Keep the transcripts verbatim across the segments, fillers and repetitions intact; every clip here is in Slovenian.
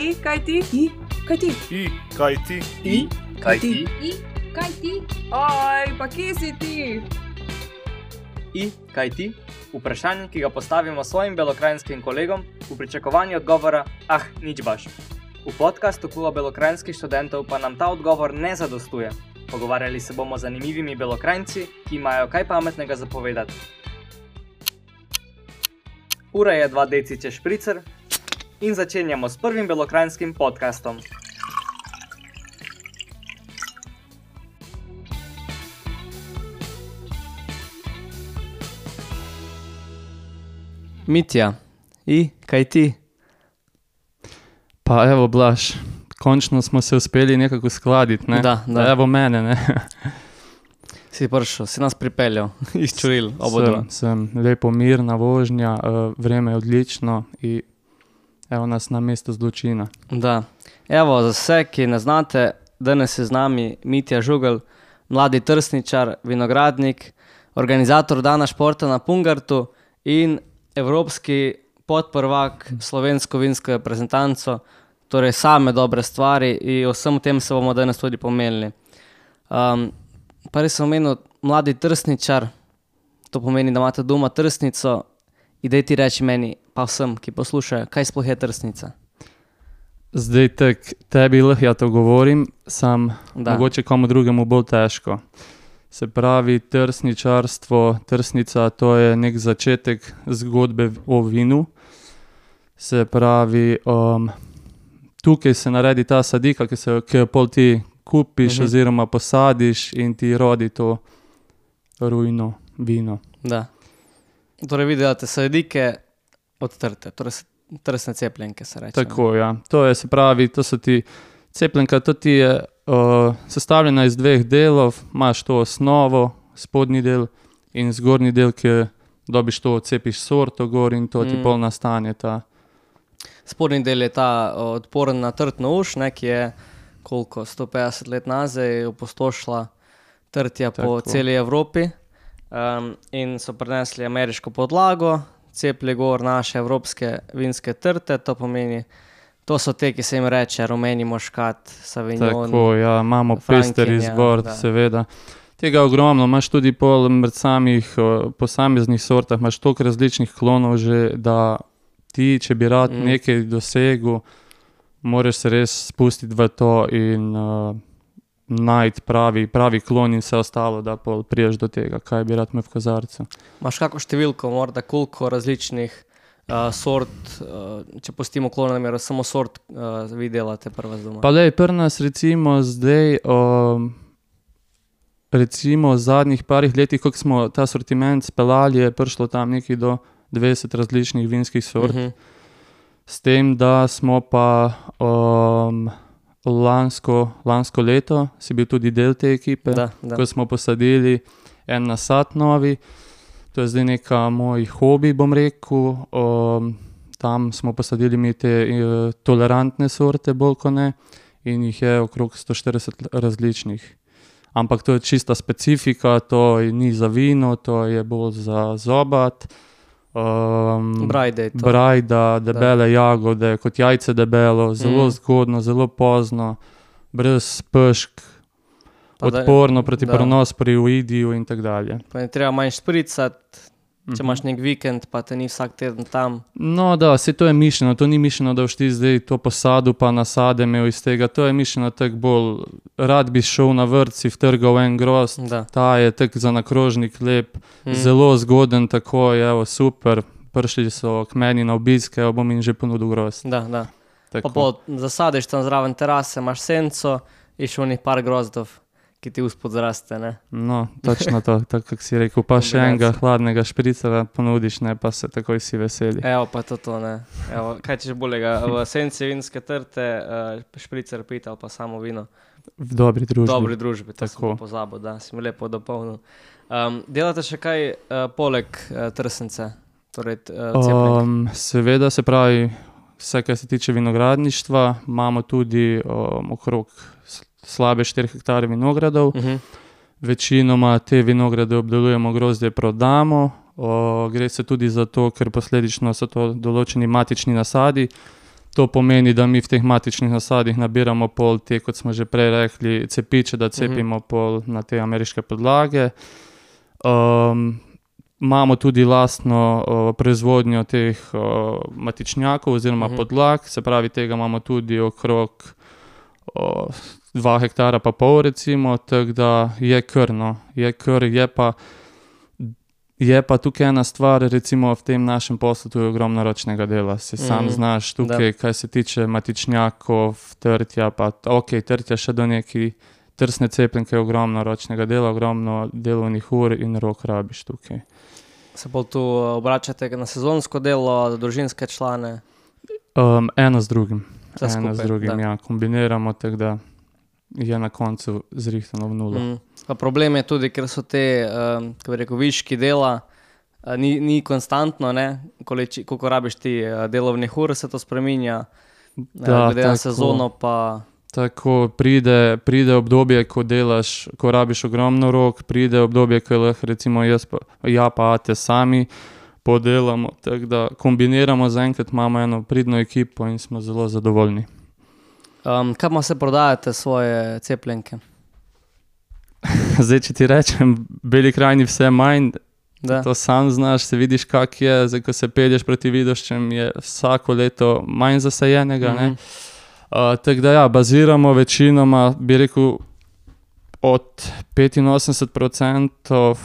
I, kaj ti? I, kaj ti? I, kaj ti? I, kaj ti? I, kaj ti? Oj, pa kje si ti? I, kaj ti? Vprašanje, ki ga postavimo svojim belokrajinskim kolegom v pričakovanju odgovora, ah, nič baš. V podcastu Kluba belokrajinskih študentov pa nam ta odgovor ne zadostuje. Pogovarjali se bomo z zanimivimi belokrajinci, ki imajo kaj pametnega zapovedati. Ura je dva deciče špricer in začenjamo s prvim belokrajinskim podcastom. Mitja, I, kaj ti? Pa evo, Blaž, končno smo se uspeli nekako uskladiti, ne? Da, da. Evo mene, ne? Si prišel, si nas pripeljal, izčuril, obodva. Sem, sem lepo mirna vožnja, uh, vreme je odlično in evo nas na mesto zločina. Da. Evo, za vse, ki ne znate, danes je z nami Mitja Žugelj, mladi trsničar, vinogradnik, organizator dana športa na Pungartu in evropski podprvak slovensko vinsko reprezentanco, torej same dobre stvari in o vsem tem se bomo danes tudi pomenili. Um, pa res sem omenil mladi trsničar, to pomeni, da imate doma trsnico in daj ti reči meni, pa vsem, ki poslušajo, kaj sploh je trsnica? Zdaj tak, tebi lahko ja to govorim, sam Da. mogoče komu drugemu bolj težko. Se pravi, trsničarstvo, trsnica, to je nek začetek zgodbe o vinu. Se pravi, um, tukaj se naredi ta sadika, ki se ki jo pol ti kupiš Mhm. oziroma posadiš in ti rodi to rujno vino. Da. Torej vi delate sadike od trte, torej s- trsne cepljenke se reče. Tako, ja. To je, se pravi, to so ti cepljenka, to ti je uh, sestavljena iz dveh delov, imaš to osnovo, spodnji del in zgornji del, ki dobiš to, cepiš sorto gor in to ti Mm. pol nastane ta. Spodnji del je ta o, odporen na trtno uš, ne, ki je koliko, sto petdeset let nazaj opustošila trtja po Tako. celi Evropi um, in so prinesli ameriško podlago, cepli gor naše evropske vinske trte, to pomeni, to so te, ki se jim reče rumeni moškat, savignon. Tako, ja, imamo pester Frankinja, izbor, da. seveda. Tega je ogromno, imaš tudi pol med samih uh, posameznih sortah, imaš toliko različnih klonov že, da ti, če bi rad Mm. nekaj dosegel, moraš se res spustiti v to in uh, najti pravi, pravi klon in vse ostalo, da pol priješ do tega, kaj bi rad imel v kozarcu. Imaš kako številko, morda koliko različnih uh, sort, uh, če pustimo klona nameru, samo sort uh, vi delate prva z doma? Pa lej, pri nas recimo zdaj, um, recimo v zadnjih parih letih, koliko smo ta sortiment speljali, je prišlo tam nekaj do dvajset različnih vinskih sort. Mhm. S tem, da smo pa um, lansko, lansko leto, si bil tudi del te ekipe, Da, da. ko smo posadili en nasad novi. To je zdaj neka moj hobi, bom rekel. Um, tam smo posadili mi te uh, tolerantne sorte, bolj kot ne, in jih je okrog sto štirideset različnih. Ampak to je čista specifika, to je- ni za vino, to je bolj za zobat. Um, Brajde je to. Brajda, debele jagode, kot jajce debelo, zelo Mm. zgodno, zelo pozno, brez pešk, Pa da- odporno proti da. pronosporoidiju in tako dalje. Pa ne treba manj špricati, če Mhm. imaš nek vikend, pa te ni vsak teden tam. No da, saj to je mišljeno, to ni mišljeno, da boš ti zdaj to posadu pa nasade imel iz tega, to je mišljeno tako bolj, rad bi šel na vrt, si vtrgal en grozd, Da. ta je tak za na krožnik lep, Mm. zelo zgoden takoj, evo super, prišli so k meni na obisk, evo bom jim že ponudil grozd. Da, da. Pa Tako. pol zasadiš tam zraven terase, imaš senco, iš unih par grozdov, ki ti uspod zraste, ne. No, točno to, tako kako si rekel, pa še Kombinacija. enega hladnega špricera ponudiš, ne, pa se takoj si veseli. Evo pa to to, ne. Evo, kaj ćeš boljega, v senci vinske trte, uh, špricer pit ali pa samo vino. V dobri V družbi. dobri družbi, to sem Tako. pa pozabil, da si mi lepo dopolnil. Um, delate še kaj uh, poleg uh, trsence, torej uh, cepljenk? Um, seveda, se pravi, vse, kar se tiče vinogradništva, imamo tudi um, okrog s- slabe štiri hektarje vinogradov. Uh-huh. Večinoma te vinograde obdelujemo, grozdje prodamo. O, gre se tudi za to, ker posledično so to določeni matični nasadi, To pomeni, da mi v teh matičnih nasadih nabiramo pol te, kot smo že prej rekli, cepiče, da cepimo uh-huh. pol na te ameriške podlage. Um, imamo tudi lastno uh, proizvodnjo teh uh, matičnjakov oziroma uh-huh. podlag, se pravi, tega imamo tudi okrog uh, dva hektara pa pol recimo, tako da je kar, no, je kar, je pa Je pa tukaj ena stvar, recimo v tem našem poslu, tu je ogromno ročnega dela. Si mm, sam znaš tukaj, da. Kaj se tiče matičnjakov, trtja, pa ok, trtja še do neki trsne cepljenke, je ogromno ročnega dela, ogromno delovnih ur in rok rabiš tukaj. Se bolj tu obračate na sezonsko delo, družinske člane? Um, eno z drugim. Vse eno skupaj, z drugim, da. ja. Kombiniramo, tako da je na koncu zrihtano v nulo. Mm. Pa problem je tudi, ker so te, um, kako bi rekel, viški dela, uh, ni, ni konstantno, ne, Koleči, koliko rabiš ti uh, delovnih ur, se to spreminja, da, glede na sezono pa... Tako, pride, pride obdobje, ko delaš, ko rabiš ogromno rok, pride obdobje, ko lahko recimo jaz pa, ja pa ate sami podelamo, tako da kombiniramo, zaenkrat imamo eno pridno ekipo in smo zelo zadovoljni. Um, kaj se prodajate svoje cepljenke? Zdaj, če ti rečem, Beli krajini vse manj, da. To sam znaš, se vidiš, kak je, zdaj, ko se pelješ proti Vidoščem, je vsako leto manj zasajenega, mm-hmm. ne. Uh, tako da ja, baziramo večinoma, bi rekel, od petinosemdeset procentov,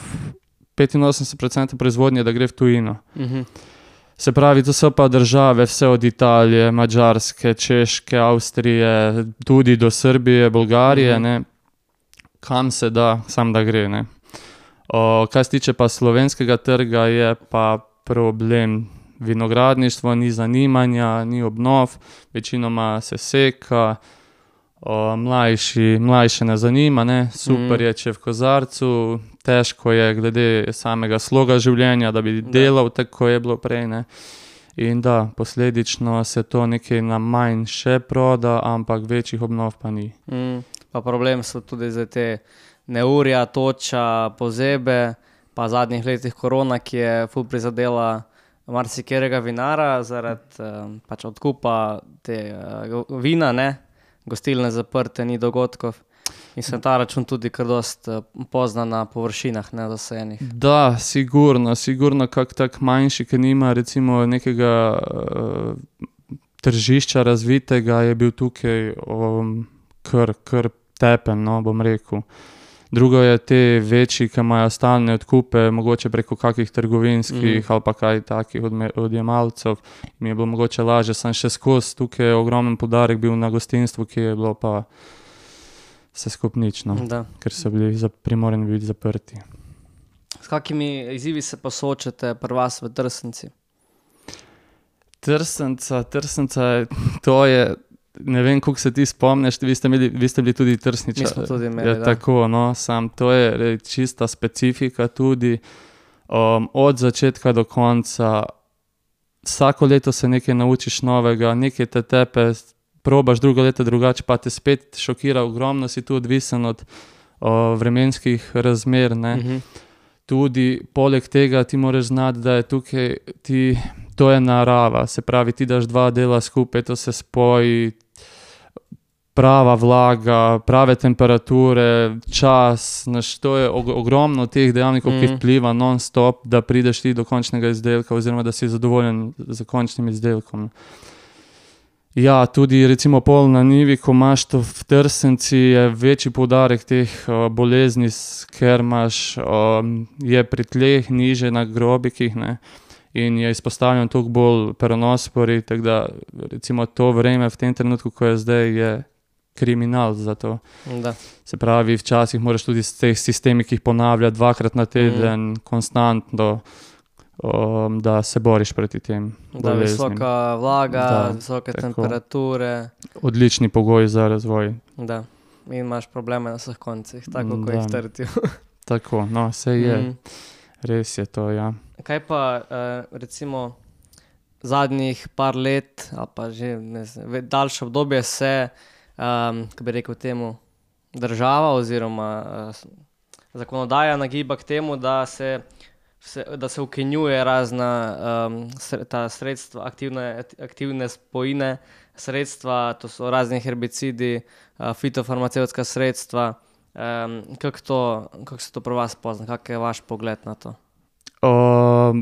petinosemdeset procentov proizvodnje, da gre v tujino. Mm-hmm. Se pravi, to so pa države, vse od Italije, Madžarske, Češke, Avstrije, tudi do Srbije, Bolgarije, mm-hmm. ne. Kam se da, sam da gre, ne. O, kaj se tiče pa slovenskega trga, je pa problem vinogradništvo, ni zanimanja, ni obnov, večinoma se seka, o, mlajši, mlajše ne zanima, ne, super mm. je, če v kozarcu, težko je glede samega sloga življenja, da bi delal tako, je bilo prej, ne. In da, posledično se to nekaj na manj še proda, ampak večjih obnov pa ni. Mm. Pa problem so tudi za te neurja, toča, pozebe, pa v zadnjih letih korona, ki je ful prizadela marsikerega vinara zaradi um, pač odkupa te uh, vina, ne, gostilne zaprte, ni dogodkov. In se ta račun tudi kar dost uh, pozna na površinah nezasajenih. Da, sigurno, sigurno kak tak manjši, ki nima recimo nekega uh, tržišča razvitega, je bil tukaj um, kar, kar tepen, no, bom rekel. Drugo je te večji, ki imajo stalne odkupe, mogoče preko kakih trgovinskih mm. ali pa kaj takih odjemalcev. Mi je bilo mogoče lažje, sem še skozi, tukaj je ogromen poudarek bil na gostinstvu, ki je bilo pa vse skup nič, no, ker so bili primorani biti zaprti. S kakimi izzivi se pa soočate pri vas v Trsnici? Trsnica, Trsnica, to je, ne vem, koliko se ti spomniš, vi ste, imeli, vi ste bili tudi Trsničar. Mi smo tudi imeli, je, da. Tako, no, sam, to je čista specifika tudi, um, od začetka do konca, vsako leto se nekaj naučiš novega, nekaj te tepe, probaš drugo leto drugače, pa te spet šokira, ogromno si tu odvisen od o, vremenskih razmer, ne. Mm-hmm. Tudi poleg tega ti moraš znati, da je tukaj, ti, to je narava, se pravi, ti daš dva dela skupaj, to se spoji, prava vlaga, prave temperature, čas, naš, to je ogromno teh dejavnikov, mm. ki vpliva non-stop, da prideš ti do končnega izdelka oziroma da si zadovoljen z končnim izdelkom. Ja, tudi recimo pol na njivi, ko imaš to v Trsnici, je večji poudarek teh uh, bolezni, ker imaš, um, je pri tleh niže na grobikih, ne, in je izpostavljen toliko bolj peronospori, tako da recimo to vreme v tem trenutku, ko je zdaj, je kriminal za to. Da. Se pravi, včasih moraš tudi s teh sistemi, ki jih ponavlja dvakrat na teden, mm. konstantno, um, da se boriš proti tem boleznim. Da, visoka vlaga, da, visoke tako, temperature. Odlični pogoji za razvoj. Da, in imaš probleme na vseh koncih, tako kot jih trtijo. Tako, no, vse je. Mm. Res je to, ja. Kaj pa, uh, recimo, zadnjih par let, ali pa že ne znam, daljše obdobje se, um, kako bi rekel temu, država oziroma uh, zakonodaja nagiba k temu, da se Se, da se ukinjuje razna um, ta sredstva, aktivne, aktivne spojine sredstva, to so razni herbicidi, uh, fitofarmacevtska sredstva. Um, kako, to, kako se to pri vas pozna? Kak je vaš pogled na to? O,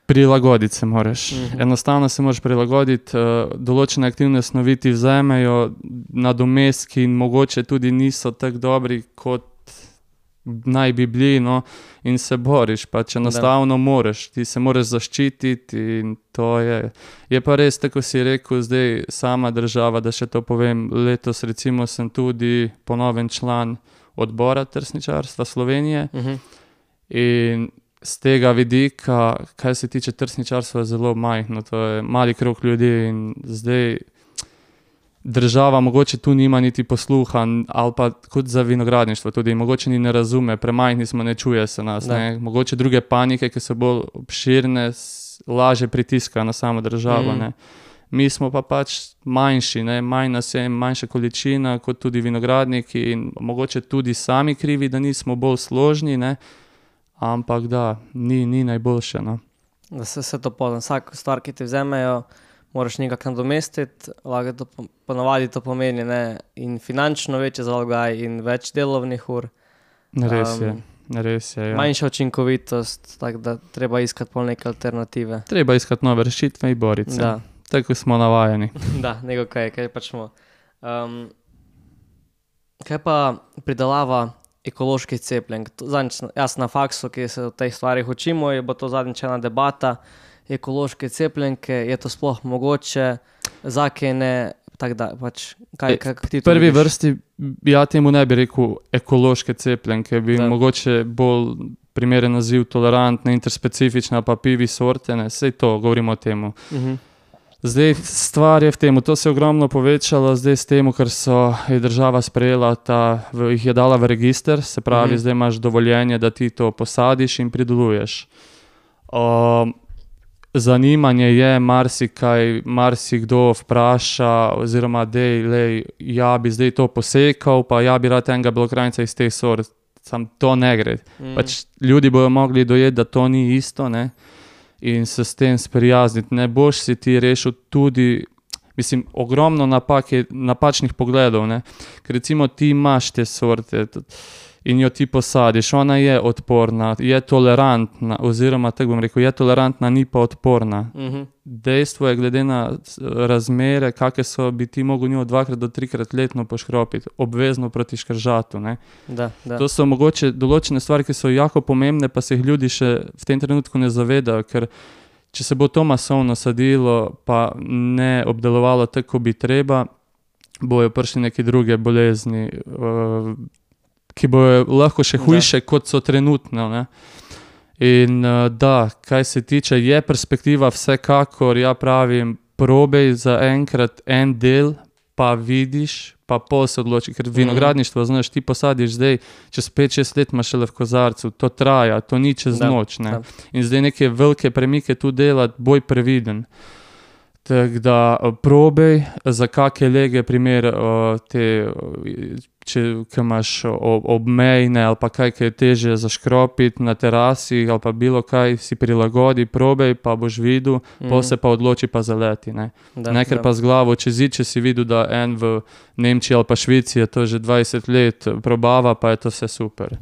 prilagoditi se moraš. Mhm. Enostavno se moraš prilagoditi. Uh, določene aktivne snovi ti vzamejo nadomestki in mogoče tudi niso tako dobri, kot naj bi bili, no, in se boriš, pač enostavno moraš, ti se moraš zaščititi in to je. Je pa res, tako si rekel, zdaj sama država, da še to povem, letos recimo sem tudi ponoven član odbora trsničarstva Slovenije Uh-huh. in z tega vidika, kaj se tiče trsničarstva, je zelo majhno, to je mali krog ljudi in zdaj država mogoče tu nima niti posluha, ali pa kot za vinogradništvo tudi, mogoče ni ne razume, premajhni smo, ne čuje se nas, ne. Mogoče druge panike, ki so bolj obširne, lažje pritiskajo na samo državo, Mm. ne. Mi smo pa pač manjši, ne, manj nas je, manjša količina, kot tudi vinogradniki in mogoče tudi sami krivi, da nismo bolj složni, ne, ampak da, ni, ni najboljše, no. Da se vse to pozna. Vsako stvar, ki ti vzamejo, moraš nekako nadomestiti, lahko to po- ponavadi to pomeni, ne, in finančno večji zalogaj in več delovnih ur, Res je, Um, res je, ja. manjša učinkovitost, tako da treba iskati pol neke alternative. Treba iskati nove rešitve in boriti se. Da, Tako smo navajeni. da, nego kaj, kaj pač smo. Um, kaj pa pridelava ekoloških cepljenk? To Zadnjič, na- jaz na faksu, ki se o teh stvarih učimo, je bo to zadnjič ena debata, ekološke cepljenke, je to sploh mogoče, zakene, tako da, pač, kaj, E, kako ti V to prvi vidiš? vrsti ja temu ne bi rekel ekološke cepljenke, bi Da. mogoče bolj primeren naziv tolerantne, interspecifične pa pivi sorte, ne, sej to, govorimo o temu. Mhm. Zdaj stvar je v tem, to se je ogromno povečalo zdaj s tem, ker so je država sprejela ta, v, jih je dala v register, se pravi, Mhm. zdaj imaš dovoljenje, da ti to posadiš in prideluješ. Um, zanimanje je, marsikaj, marsikdo vpraša, oziroma dej, lej, ja bi zdaj to posekal, pa ja bi rad enega belokranjca iz teh sort, sam to ne gre. Mm. Pač ljudi bojo mogli dojeti, da to ni isto, ne, in se s tem sprijazniti. Ne boš si ti rešil tudi, mislim, ogromno napak je, napačnih pogledov, ne, ker recimo ti imaš te sorte t- in jo ti posadiš, ona je odporna, je tolerantna, oziroma tako bom rekel, je tolerantna, ni pa odporna. Mhm. Dejstvo je, glede na s- razmere, kakve so, bi ti mogel njo dvakrat do trikrat letno poškropiti, obvezno proti škržatu, ne. Da, da. To so mogoče določene stvari, ki so jako pomembne, pa se jih ljudi še v tem trenutku ne zavedajo, ker če se bo to masovno sadilo, pa ne obdelovalo tako, kot bi treba, bojo prišli neke druge bolezni, uh, ki bojo lahko še Da. hujše, kot so trenutno, ne. In uh, da, kaj se tiče, je perspektiva vsekakor, ja pravim, probej za enkrat en del, pa vidiš, pa pol se odloči, ker vinogradništvo, znaš, ti posadiš zdaj, čez pet šest let imaš šele v kozarcu, to traja, to ni čez Da, noč, ne. da. In zdaj neke velike premike tu delati, boj previden. Tako da uh, probej za kake lege, primer uh, te, uh, če ke imaš ob, obmejne ali pa kaj, ki je težje zaškropiti na terasi ali pa bilo kaj, si prilagodi, probej, pa boš videl, Mhm. pol se pa odloči pa zaleti, ne. Da, Ne, ker da. pa z glavo čez zid, če si videl, da en v Nemčiji ali pa Švici je to že dvajset let probava, pa je to vse super.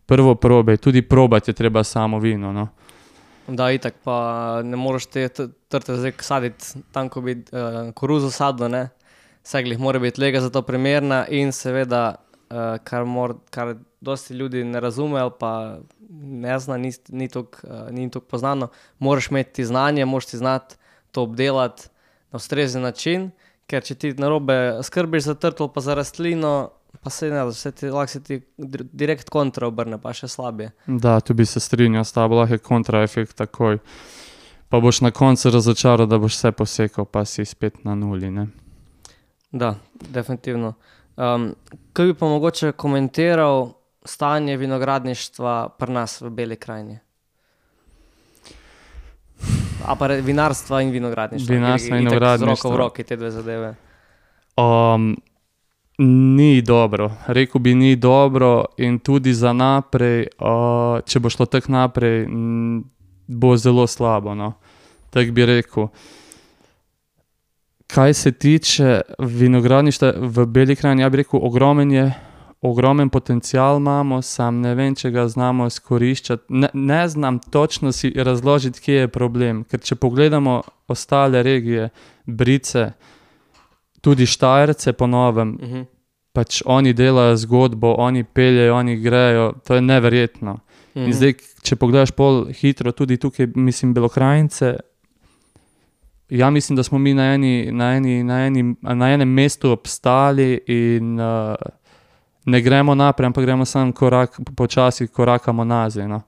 Prvo probej, tudi probati je treba samo vino, no. Da, itak pa ne moreš te t- trte zdaj saditi tam, ko bi uh, koruzo sadil, ne. Vse glih mora biti lega za to primerna in seveda, uh, kar, mor, kar dosti ljudi ne razume ali pa ne zna, ni, ni toliko uh, ni toliko poznano, moraš imeti ti znanje, moraš ti znati to obdelati na ustrezen način, ker če ti narobe skrbiš za trt ali pa za rastlino, pa se ne, vse ti, lahko se ti dir- direkt kontra obrne, pa še slabje. Da, tu bi se strinjal s tabo, lahko je kontraefekt takoj. Pa boš na koncu razočaral, da boš vse posekal, pa si spet na nuli, ne. Da, definitivno. Um, kaj bi pa mogoče komentiral stanje vinogradništva pri nas v Beli krajini? A pa re- vinarstva in vinogradništva. Vinarstva ker in itak Z roko vinogradništva. v roki te dve zadeve. Um, ni dobro, rekel bi ni dobro in tudi za naprej, uh, če bo šlo tako naprej, m, bo zelo slabo, no. Tako bi rekel. kaj se tiče vinogradništva v Beli krajini, ja bi rekel, ogromen je, ogromen potencial imamo, sam ne vem, če ga znamo izkoriščati. Ne, ne znam točno si razložiti, kje je problem, ker če pogledamo ostale regije, Brice, tudi Štajerce po novem, Mhm. pač oni delajo zgodbo, oni peljejo, oni grejo, to je neverjetno. Mhm. In zdaj, če pogledaš pol hitro, tudi tukaj, mislim, Belokranjce, ja mislim, da smo mi na, eni, na, eni, na, eni, na enem mestu obstali in uh, ne gremo naprej, ampak gremo samo korak, počasi korakamo nazaj. No.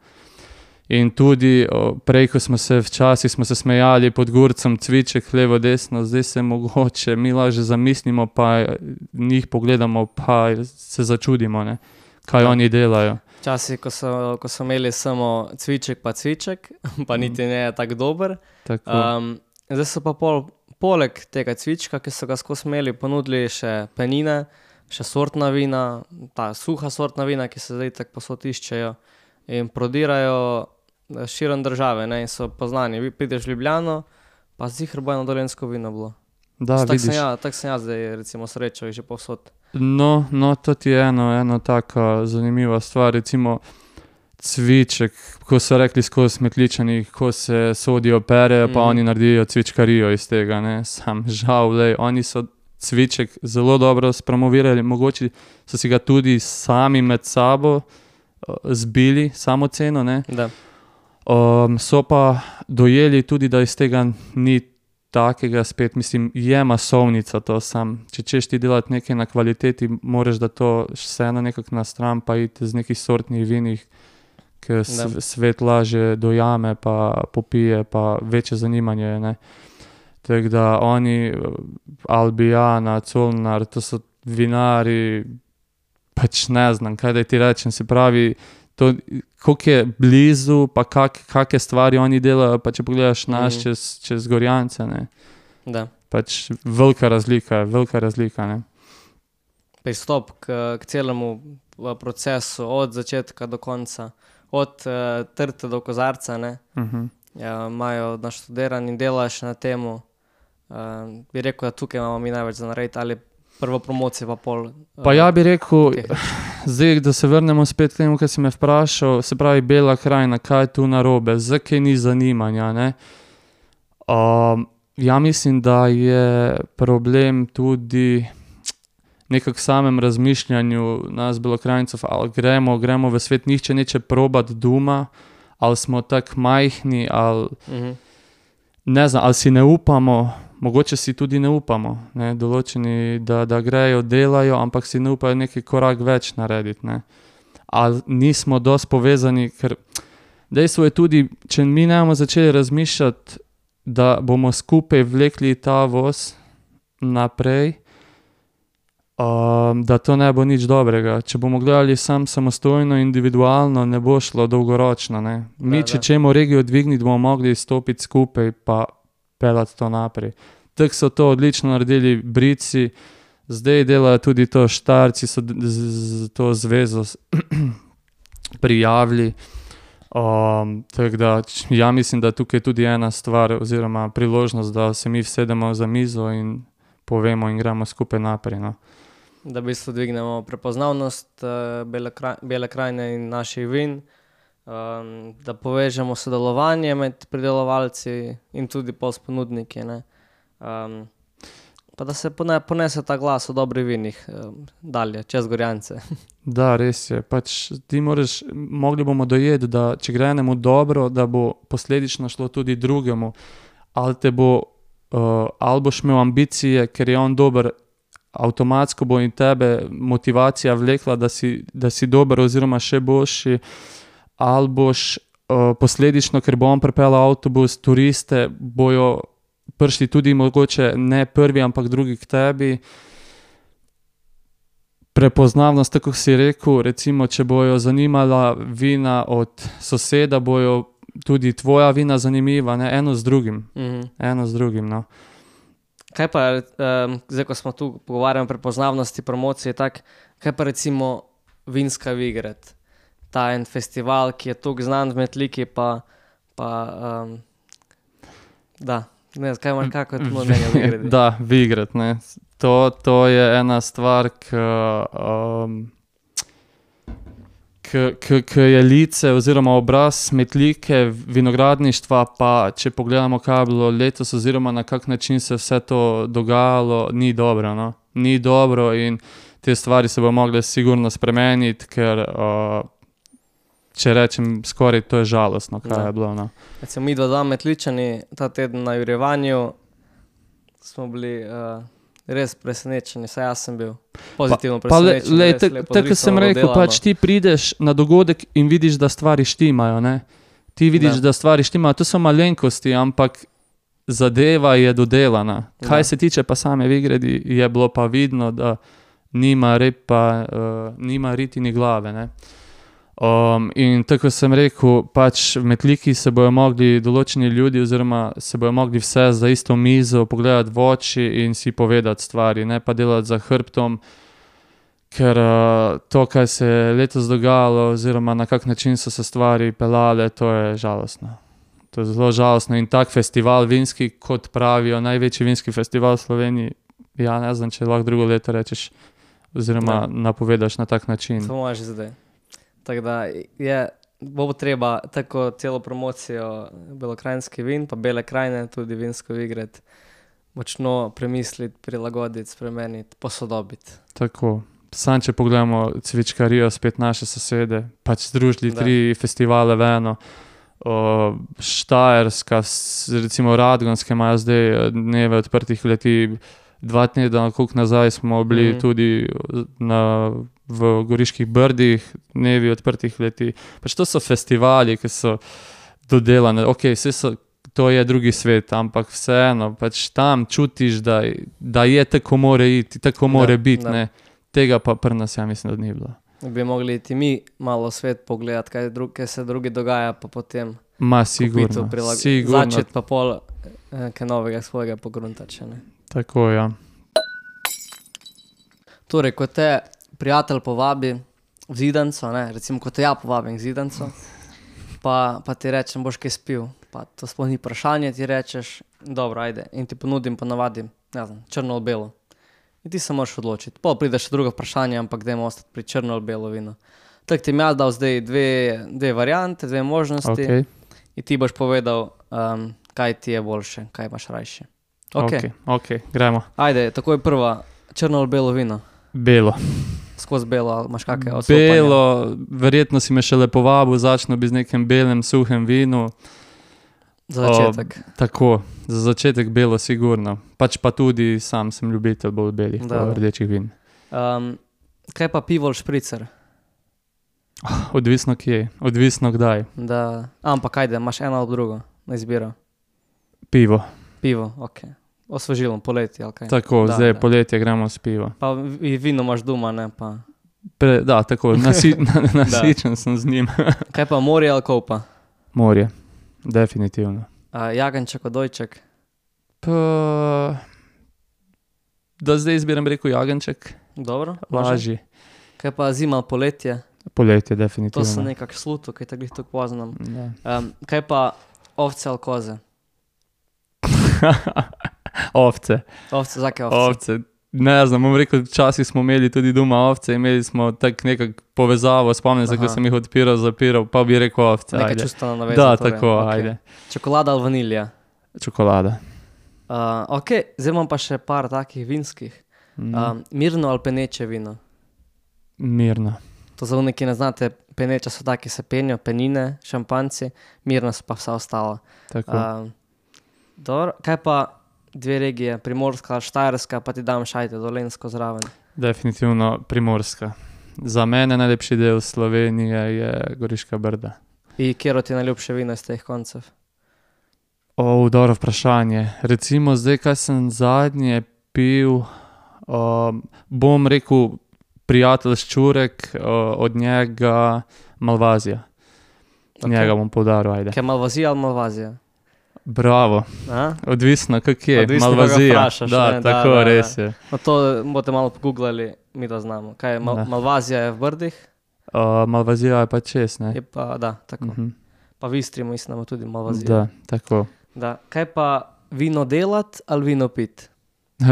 In tudi o, prej, ko smo se včasih smo se smejali pod Gurcem, cviček levo, desno, zdaj se mogoče mi lažje zamislimo, pa njih pogledamo, pa se začudimo, ne, kaj Ja. oni delajo. Včasih, ko so, ko so imeli samo cviček pa cviček, pa niti ne je tako dober. Tako, Um, zdaj so pa pol, poleg tega cvička, ki so ga skozi imeli, ponudili še penine, še sortna vina, ta suha sortna vina, ki se zdaj tako posod iščejo in prodirajo eh, širom države, ne, in so poznani. Vi prideš v Ljubljano, pa ziher bo eno dolenjsko vino bilo. da, Tako sem, vidiš. ja, tak sem jaz zdaj recimo srečal jih že povsod. No, no, to ti je eno, eno taka zanimiva stvar, recimo cviček, ko so rekli skozi smetličani, ko se sodijo pere, pa Mhm. oni naredijo cvičkarijo iz tega, ne, sam žal, lej, oni so cviček zelo dobro spromovirali, mogoče so si ga tudi sami med sabo uh, zbili, samo ceno, ne, Da. um, so pa dojeli tudi, da iz tega ni takega spet, mislim, je masovnica to sam. Če češ ti delati nekaj na kvaliteti, moraš da to vseeno nekako na stran, pa iti z nekih sortnih vinih, ki Da. svet lažje dojame, pa popije, pa večje zanimanje je, ne. Tako da oni, Albijana, Colnar, to so vinari, pač ne znam, kaj da ti rečem, se pravi, to, koliko je blizu, pa kak, kake stvari oni delajo, pa če pogledaš naš Mhm. čez, čez Gorjance, ne, Da. pač velika razlika, velika razlika, ne. Pristop k, k celemu eh, procesu, od začetka do konca, od uh, trte do kozarca, ne, Mhm. ja, imajo naštudiran in delaš na temu. Uh, bi rekel, da tukaj imamo mi največ za narediti, ali prvo promocijo pa pol. Uh, Pa ja bi rekel, tehnično. zdaj, da se vrnemo spet k temu, kar si me vprašal, se pravi Bela krajina, kaj je tu narobe, zakaj ni zanimanja, ne. Um, ja mislim, da je problem tudi nekako v samem razmišljanju nas Belokranjcev, ali gremo, gremo v svet, nihče neče probati doma, ali smo tako majhni, ali Mhm. ne znam, ali si ne upamo, mogoče si tudi ne upamo, ne, določeni, da, da grejo, delajo, ampak si ne upajo neki korak več narediti, ne. Ali nismo dosti povezani, ker dejstvo je tudi, če mi ne bomo začeli razmišljati, da bomo skupaj vlekli ta voz naprej, um, da to ne bo nič dobrega. Če bomo gledali sam samostojno, individualno, ne bo šlo dolgoročno, ne. Mi, Da, če da. čemo regijo dvigniti, bomo mogli stopiti skupaj pa pelati to naprej. Tako so to odlično naredili Brici, zdaj delajo tudi to Štajerci, so d- z, z to zvezo s- prijavili. Um, tako da, č- ja mislim, da tukaj je tudi ena stvar oziroma priložnost, da se mi vsedemo za mizo in povemo in gremo skupaj naprej, no. Da v bistvu dvignemo prepoznavnost uh, Bele, kraj, Bele krajine in naših vin, um, da povežemo sodelovanje med pridelovalci in tudi pol s ponudniki, ne. Um, pa da se pone, ponese ta glas o dobrih vinih um, dalje, čez Gorjance. Da, res je. Pač ti moraš, mogli bomo dojeti, da če gre enemu dobro, da bo posledično šlo tudi drugemu. Ali te bo, uh, ali boš imel ambicije, ker je on dober, avtomatsko bo in tebe motivacija vlekla, da si, da si dober oziroma še boljši, ali boš uh, posledično, ker bo on pripeljal avtobus, turiste, bojo prišli tudi mogoče ne prvi, ampak drugi k tebi. Prepoznavnost, tako kot si rekel, recimo, če bojo zanimala vina od soseda, bojo tudi tvoja vina zanimiva, ne, eno z drugim, Mhm. eno z drugim, no. Kaj pa, um, zdaj ko smo tu pogovarjali o prepoznavnosti, promociji, tak, kaj pa recimo Vinska Vigred, ta en festival, ki je tukaj znan v Metliki, pa, pa um, da, Ne, kaj imaš, kako je to mnenje v igri? Da, v igrat, ne. To, to je ena stvar, ki um, je lice oziroma obraz Metlike vinogradništva, pa če pogledamo, kaj je bilo letos oziroma na kak način se vse to dogajalo, ni dobro, no. Ni dobro in te stvari se bo mogle sigurno spremeniti, ker uh, če rečem skoraj, to je žalostno, kaj Da. je bilo, no. Recimo mi dva dva Metličani ta teden na jurjevanju smo bili uh, res presenečeni, saj jaz sem bil pozitivno Pa le, presenečen. lej, res tak- lepo tako kot sem zrisano, rekel, dodelano. pač ti prideš na dogodek in vidiš, da stvari štimajo, ne. Ti vidiš, Da. da, da stvari štimajo, to so malenkosti, ampak zadeva je dodelana. Kaj Da. se tiče pa same Vigredi, je bilo pa vidno, da nima repa, uh, nima riti ni glave, ne. Um, in tako sem rekel, pač v Metliki se bojo mogli določeni ljudi oziroma se bojo mogli vse za isto mizo pogledati v oči in si povedati stvari, ne pa delati za hrbtom, ker uh, to, kaj se je letos dogajalo oziroma na kak način so se stvari pelale, to je žalostno. To je zelo žalostno in tak festival vinski, kot pravijo, največji vinski festival v Sloveniji, ja ne znam, če lahko drugo leto rečeš oziroma Da. napovedaš na tak način. To imaš zdaj. Tako da je, bo treba tako celo promocijo belokranjski vin, pa Bele krajine, tudi vinsko Vigrad, močno premisliti, prilagoditi, spremeniti, posodobiti. Tako. Sam, če pogledamo cvičkarijo, spet naše sosede, pač združili Da. tri festivale v eno. O, Štajerska, s- recimo Radgonske imajo zdaj eh, dneve odprtih kleti. Dva tedna koliko nazaj smo bili Mhm. tudi na, v Goriških Brdih, dnevi odprtih kleti. Pač to so festivali, ki so dodelane. Ok, vse so, to je drugi svet, ampak vseeno, pač tam čutiš, da, da je tako more iti, tako more Da, biti, da. ne. Tega pa pri nas, ja mislim, da ni bilo. Bi mogli iti mi malo svet pogledati, kaj, drug, kaj se drugi dogaja, pa potem Ma, kupiti, sigurno, prilagoditi. sigurno, Začeti pa pol eh, kaj novega svojega pogruntati še, ne. tako, ja. Torej, ko te prijatelj povabi v zidanco, ne, recimo, ko te ja povabim v zidanco, pa, pa ti rečem, boš kaj spil, pa to sploh ni vprašanje, ti rečeš, dobro, ajde, in ti ponudim, ponavadi, ne znam, črno ali belo. In ti se moraš odločiti. Pol pride še drugo vprašanje, ampak dajmo ostati pri črno ali belo vino. Tako ti mi jaz dal zdaj dve, dve variante, dve možnosti Ok, in ti boš povedal, um, kaj ti je boljše, kaj imaš rajše. Ok, ok, ok, gremo. ajde, takoj prva, črno ali belo vino. Belo. Skozi belo, ali imaš kakšne odstopanja? Belo, verjetno si me šele povabil, začnu bi z nekem belem, suhem vinu. Za začetek. Tako, za začetek belo sigurno. Pač pa tudi sam sem ljubitelj bolj belih, Da, pa da. rdečih vin. Um, kaj pa pivo ali špricer? Odvisno kje, odvisno kdaj. Da, ampak ajde, imaš eno ali drugo na izbiro. Pivo. Pivo, ok. Osvežilo, poletje ali kaj. Tako, Da, zdaj da. poletje gremo s pivo. Pa vi- vino imaš doma, ne pa. Pre, da, tako, nasi, nasičen sem z njim. Kaj pa morje ali kopa? Morje, definitivno. Uh, jagenjček, odojček. Pa, da zdaj izbiram rekel jagenček, Dobro, može. lažji. Kaj pa zima ali poletje? Poletje, To definitivno. sem nekako sluto, kaj tako glih tako poznam. Da. Um, kaj pa ovce ali koze? Ovce, Ovce, zakaj ovce? ovce. Ne znam, bom rekel, včasih smo imeli tudi doma ovce, imeli smo tak nekak povezavo, spomnim se, ko Aha. sem jih odpiral, zapiral, pa bi rekel ovce, Neka ajde. čustvena naveza. Da, torej, tako, ok. ajde. Čokolada ali vanilija? Čokolada. Uh, ok, zdaj imam pa še par takih vinskih. Mm. Um, mirno ali peneče vino? Mirno. To za one, ki ne znate, peneče so taki, se penijo, penine, šampanci, mirno so pa vsa ostala. Tako. Um, dobro, kaj pa dve regije, Primorska, Štajerska, pa ti dam šajte, Dolenjsko zraven. Definitivno Primorska. Za mene najlepši del Slovenije je Goriška Brda. In kjero ti je najljubše vino iz teh koncev? O, dobro vprašanje. Recimo zdaj, kaj sem zadnje pil, um, bom rekel prijatelj Ščurek, uh, od njega Malvazija. Ok. Njega bom poudaril, ajde. Kaj Malvazija ali Malvazija? Bravo, A? odvisno kak je, Odvisno, koga Malvazija. vprašaš, Da, ne, da, tako, da, da. res je. No to boste malo pogooglali, mi to znamo. Kaj je Mal Da. Malvazija je v Brdih? Uh, Malvazija je pa čez, ne? Je pa, da, tako. Mhm. Pa v Istri mislim, da ima tudi Malvazijo. Da, tako. Da. Kaj pa vino delati ali vino piti?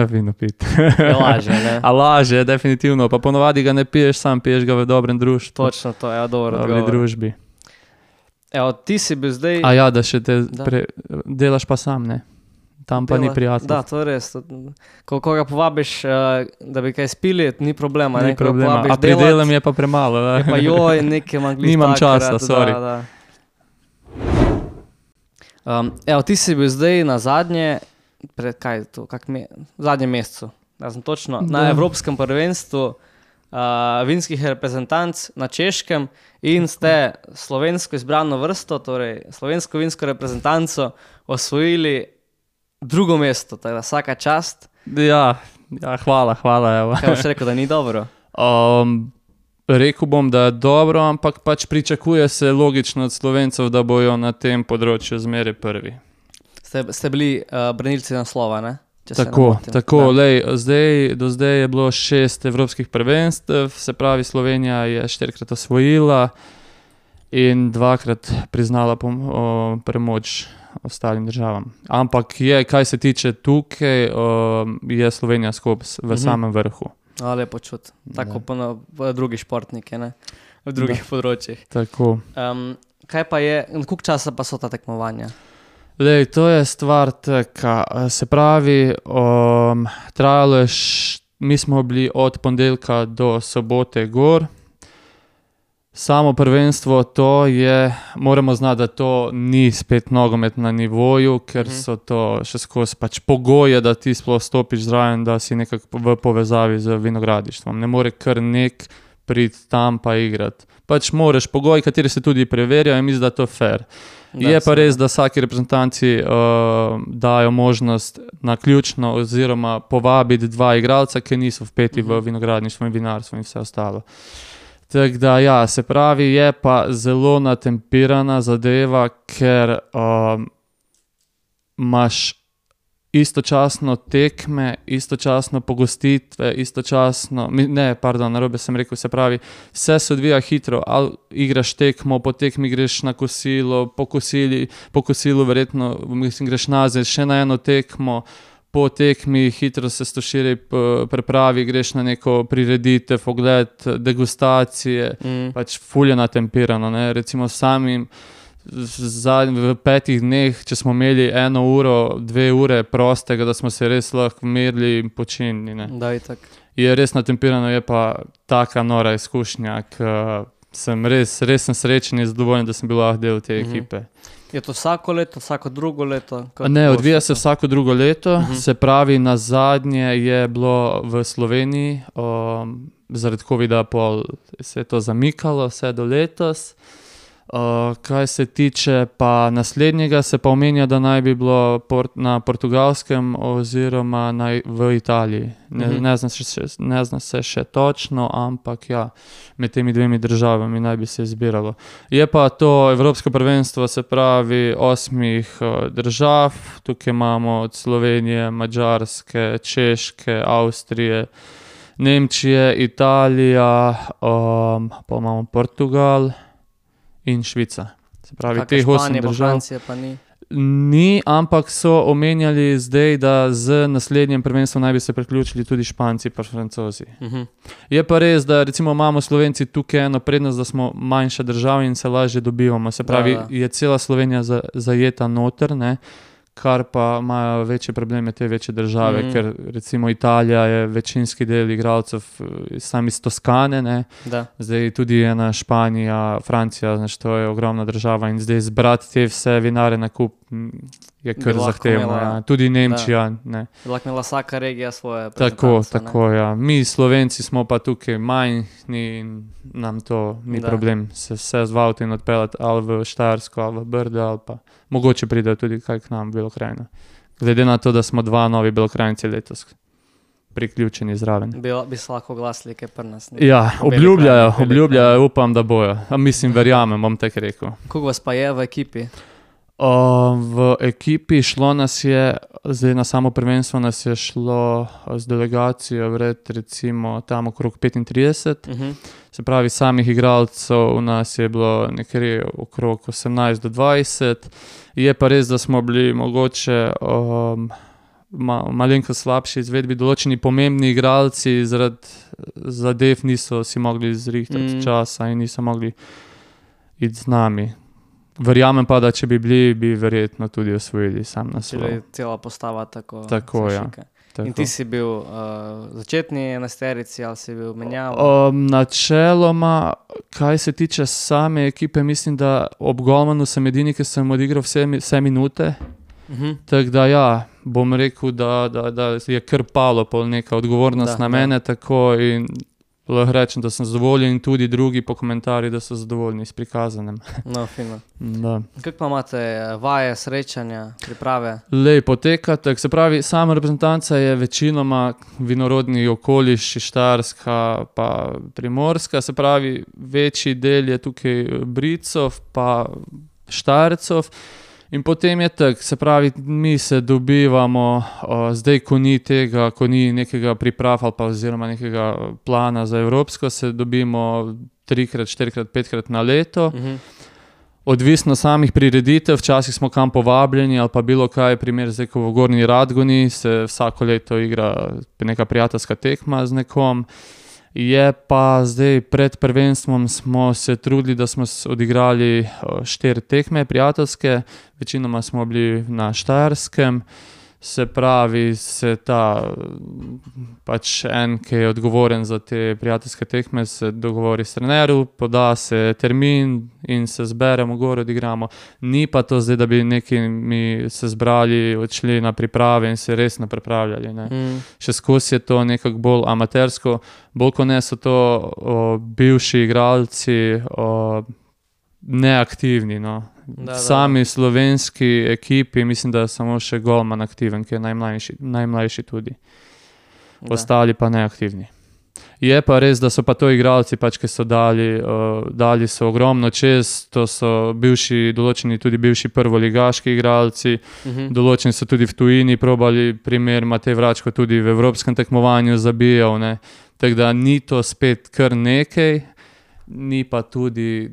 Vino piti. Je lažje, ne? A lažje, definitivno. Pa ponovadi ga ne piješ sam, piješ ga v dobrem društvu. Točno to, ja, dobro V odgovor. družbi. Evo, ti si bil zdaj... A ja, da še te Da. pre, delaš pa sam, ne? Tam pa ni dela- prijatno. Da, to je res. To, ko koga povabiš, uh, da bi kaj spili, ni problema. Ni ne? Ko problema. povabiš A pri delat, delem je pa premalo. Da? je pa joj, nekaj manjkli. Nimam časa, sorry. Da, da. Um, evo, ti si bil zdaj na zadnje, pred kaj je to, kak me, v zadnjem mesecu, ja sem točno, na Da. Evropskem prvenstvu uh, vinskih reprezentanc na Češkem in ste slovensko izbrano vrsto, torej slovensko vinsko reprezentanco osvojili drugo mesto, tako da vsaka čast. Ja, ja, hvala, hvala. Evo. Kaj boš rekel, da ni dobro? Um, rekel bom, da je dobro, ampak pač pričakuje se logično od Slovencev, da bojo na tem področju zmeraj prvi. Ste, ste bili uh, branilci naslova, ne? Če se ne Tako, motim. tako, Da. lej, zdaj, do zdaj je bilo šest evropskih prvenstev, se pravi Slovenija je štirikrat osvojila in dvakrat priznala pom, o, premoč ostalim državam. Ampak je, kaj se tiče tukaj, o, je Slovenija skupaj v Mhm. samem vrhu. A, lepo čut. Tako Da. pa na v drugi športniki, ne? V drugih področjih. Tako. Um, kaj pa je, koliko časa pa so ta tekmovanja? Lej, to je stvar taka, se pravi, um, trajalo je, š, mi smo bili od ponedeljka do sobote gor. Samo prvenstvo to je, moramo znati, da to ni spet nogomet na nivoju, ker Mhm. so to še skozi pač pogoje, da ti sploh stopiš zraven, da si nekako v povezavi z vinogradništvom. Ne more kar nek priti tam pa igrati. Pač moraš pogoji, kateri se tudi preverjajo in mislim, da je to fair. Da, Je pa seveda. res, da vsaki reprezentanci uh, dajo možnost na ključno oziroma povabiti dva igralca, ki niso vpeti Mhm. v vinogradništvo in vinarstvo in vse ostalo. Tako da ja, se pravi, je pa zelo natempirana zadeva, ker um, imaš istočasno tekme, istočasno pogostitve, istočasno, mi- ne, pardon, narobe sem rekel, se pravi, vse se odvija hitro, ali igraš tekmo, po tekmi greš na kosilo, po, kosili, po kosilu verjetno mislim, greš nazaj še na eno tekmo, po tekmi hitro se stoširi prepravi, greš na neko prireditev, ogled, degustacije, Mm. pač fulje natempirano, ne, recimo samim zadnj, v petih dneh, če smo imeli eno uro, dve ure prostega, da smo se res lahko merili in počinili, ne. Da, itak. Je res natempirano, je pa taka nora izkušnja, k sem res, res sem srečen in zadovoljen, da sem bil lahko del te Mhm. ekipe. Je to vsako leto, vsako drugo leto? Kako Ne, boš odvija to? se vsako drugo leto, Mhm. se pravi, na zadnje je bilo v Sloveniji, um, zaradi covida pol se je to zamikalo vse do letos. Uh, kaj se tiče pa naslednjega, se pa omenja, da naj bi bilo port, na Portugalskem oziroma na, v Italiji. Ne, Mhm. ne, zna se še, ne zna se še točno, ampak ja, med temi dvemi državami naj bi se izbiralo. Je pa to Evropsko prvenstvo, se pravi osmih uh, držav, tukaj imamo od Slovenije, Madžarske, Češke, Avstrije, Nemčije, Italija, um, pa imamo Portugal in Švica. Se pravi, Kakšna teh osem Španija pa držav Francija pa ni. ni, ampak so omenjali zdaj, da z naslednjem prvenstvom naj bi se priključili tudi Španci pa Francozi. Mhm. Je pa res, da recimo imamo Slovenci tukaj eno prednost, da smo manjša država in se lažje dobivamo. Se pravi, Da, da. je cela Slovenija za, zajeta noter, ne? Kar pa imajo večje probleme te večje države, Mhm. ker recimo Italija je večinski del igralcev eh, sam iz Toskane, ne? Da. Zdaj tudi ena Španija, Francija, znaš, to je ogromna država in zdaj zbrati te vse vinare na kup m, je Bi kar lahko zahtevno. imela- Ja. Tudi Nemčija, ne. Bi lahko imela vsaka regija svoje Tako, reprezentance, ne. tako, ja. Mi Slovenci smo pa tukaj majhni in nam to ni Da. problem se vse z avtom odpeljati ali v Štajersko ali v Brde ali pa mogoče pridejo tudi kaj k nam v Belokrajino. Glede na to, da smo dva novi Belokrajinci letos priključeni zraven. Bi, bi se lahko oglasili, kaj pri nas. ne. Ja, V obljubljajo, Belokrajini, obljubljajo, upam, da bojo. A mislim, verjamem, bom tako rekel. Koliko vas pa je v ekipi? Uh, v ekipi šlo nas je, zdaj na samo prvenstvo nas je šlo z delegacijo vred recimo tam okrog petintrideset. Uh-huh. Se pravi, samih igralcev nas je bilo nekje okrog osemnajst do dvajset. Je pa res, da smo bili mogoče um, ma, malenko slabši izvedbi. Določeni pomembni igralci zaradi zadev niso si mogli zrihtati Mm. časa in niso mogli iti z nami. Verjamem pa, da če bi bili, bi verjetno tudi osvojili sam Če naslov. je cela postava tako. Tako, ja. zašika. Tako. In ti si bil uh, začetni enajsterici ali si bil menjav? Um, načeloma, kaj se tiče same ekipe, mislim, da ob golmanu sem edini, ki sem odigral vse, mi- vse minute. Uh-huh. Tako da ja, bom rekel, da, da, da je kar palo pol neka odgovornost Da, na da. mene tako in lahko rečem, da sem zadovoljen in tudi drugi po komentarjih, da so zadovoljni s prikazanem. No, fino. Da. Kako pa imate eh, vaje, srečanja, priprave? Lej poteka, tako se pravi, sama reprezentanca je večinoma vinorodni okoliš, Štajerska pa Primorska, se pravi, večji del je tukaj Bricov pa Štajercov. In potem je tako, se pravi, mi se dobivamo, o, zdaj, ko ni tega, ko ni nekega priprav ali pa oziroma nekega plana za evropsko, se dobimo trikrat, štirikrat, petkrat na leto. Uh-huh. Odvisno samih prireditev, včasih smo kam povabljeni ali pa bilo kaj, primer zdaj, ko v Gornji Radgoni se vsako leto igra neka prijateljska tekma z nekom. Je pa zdaj pred prvenstvom smo se trudili, da smo s- odigrali o, štiri tekme prijateljske, večinoma smo bili na Štajerskem. Se pravi, se ta pač en, ki je odgovoren za te prijateljske tekme, se dogovori s trenerjem, poda se termin in se zberemo gor, odigramo. Ni pa to zdaj, da bi neki mi se zbrali, odšli na priprave in se resno pripravljali. Ne. Mm. Še skozi je to nekako bolj amatersko, bolj kot ne so to o, bivši igralci o, neaktivni. No. Da, da, V sami slovenski ekipi mislim, da je samo še golman aktiven, ki je najmlajši, najmlajši tudi. Da. Ostali pa neaktivni. Je pa res, da so pa to igralci, pač, ki so dali, uh, dali so ogromno čez, to so bivši, določeni tudi bivši prvoligaški igralci, Mhm. določeni so tudi v tujini probali, primer Matej Vračko tudi v evropskem tekmovanju zabijal, ne. Tako da ni to spet kar nekaj, ni pa tudi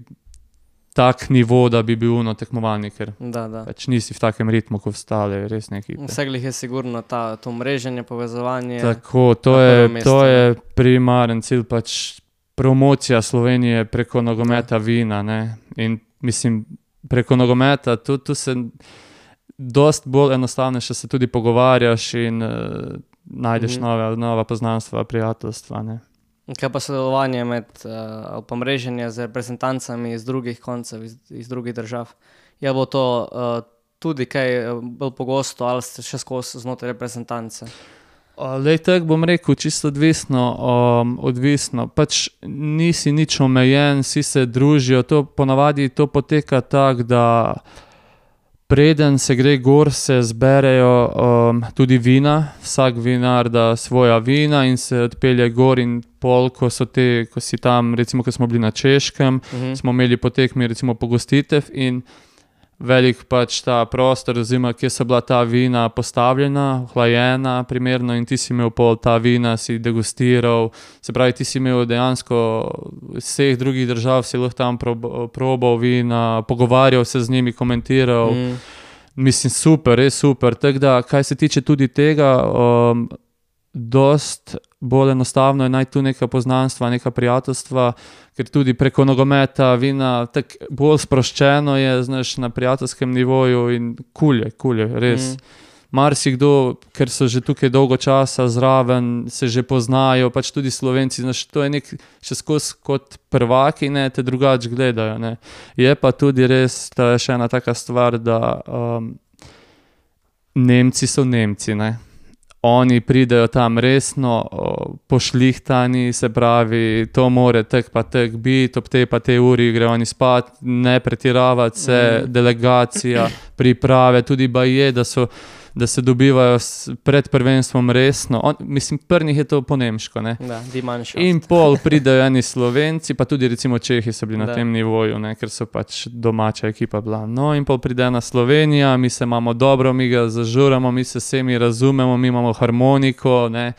tak nivo, da bi bil uno tekmovalni, ker Da, da. pač nisi v takem ritmu, kot ostale resne ekipe. Vseglih je sigurno ta, to mreženje, povezovanje. Tako, to na je, prvem mestu, to ne. je primaren cilj, pač promocija Slovenije preko nogometa vina, ne. In mislim, preko nogometa, tu, tu se dost bolj enostavnejše se tudi pogovarjaš in uh, najdeš Mhm. nove, nova poznanstva, prijateljstva, ne. Kaj pa sodelovanje med, uh, ali pa mreženje z reprezentancami iz drugih koncev, iz, iz drugih držav? Je bilo to uh, tudi kaj eh, bolj pogosto ali ste še skozi znotraj reprezentance? Lej, tako bom rekel, čisto odvisno, um, odvisno. Pač nisi nič omejen, vsi se družijo, to ponavadi to poteka tako, da preden se gre gor, se zberejo um, tudi vina, vsak vinar da svoja vina in se odpelje gor in pol, ko so te, ko si tam, recimo, ko smo bili na Češkem, Mhm. smo imeli po tekmi recimo pogostitev in velik pač ta prostor, oziroma kje so bila ta vina postavljena, hlajena primerno in ti si imel pol ta vina, si degustiral, se pravi, ti si imel dejansko iz vseh drugih držav, si lahko tam prob, probal vina, pogovarjal se z njimi, komentiral. Mm. Mislim, super, res super. Tako da, kaj se tiče tudi tega, um, dost bolj enostavno je najti tu neka poznanstva, neka prijateljstva, ker tudi preko nogometa vina tako bolj sproščeno je, znaš, na prijateljskem nivoju in kul je, kul je, res. Mm. Mm. Marsikdo, ker so že tukaj dolgo časa zraven, se že poznajo, pač tudi Slovenci, znaš, to je nek še skozi kot prvaki, ne, te drugače gledajo, ne. Je pa tudi res, da je še ena taka stvar, da um, Nemci so Nemci, ne. Oni pridejo tam resno, o, pošlihtani, se pravi, to more tek pa tek biti, ob tej pa tej uri gre oni spat, ne pretiravati se, Mm. delegacija, priprave, tudi baje, da so da se dobivajo s, pred prvenstvom resno. On, mislim, prvnih je to po nemško, ne. Da, die Mannschaft. In pol pridejo eni Slovenci, pa tudi recimo Čehi so bili na Da. tem nivoju, ne, ker so pač domača ekipa bila. No in pol pride ena Slovenija, mi se imamo dobro, mi ga zažuramo, mi se vsemi razumemo, mi imamo harmoniko, ne.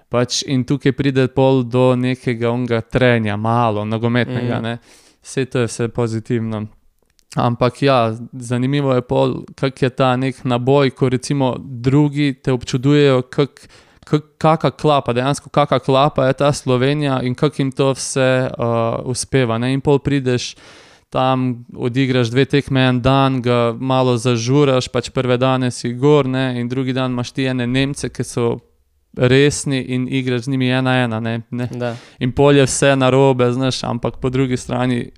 Pač in tukaj pride pol do nekega onga trenja, malo, nogometnega, Mm. ne. Vse to je vse pozitivno. Ampak ja, zanimivo je pol, kak je ta nek naboj, ko recimo drugi te občudujejo, kak, kak, kaka klapa, dejansko kaka klapa je ta Slovenija in kak jim to vse uh, uspeva, ne. In pol prideš tam, odigraš dve tekme en dan, ga malo zažuraš, pač prve dane si gor, ne, in drugi dan imaš ti ene Nemce, ki so resni in igraš z njimi ena ena, ne, ne. Da. In pol je vse narobe, znaš, ampak po drugi strani,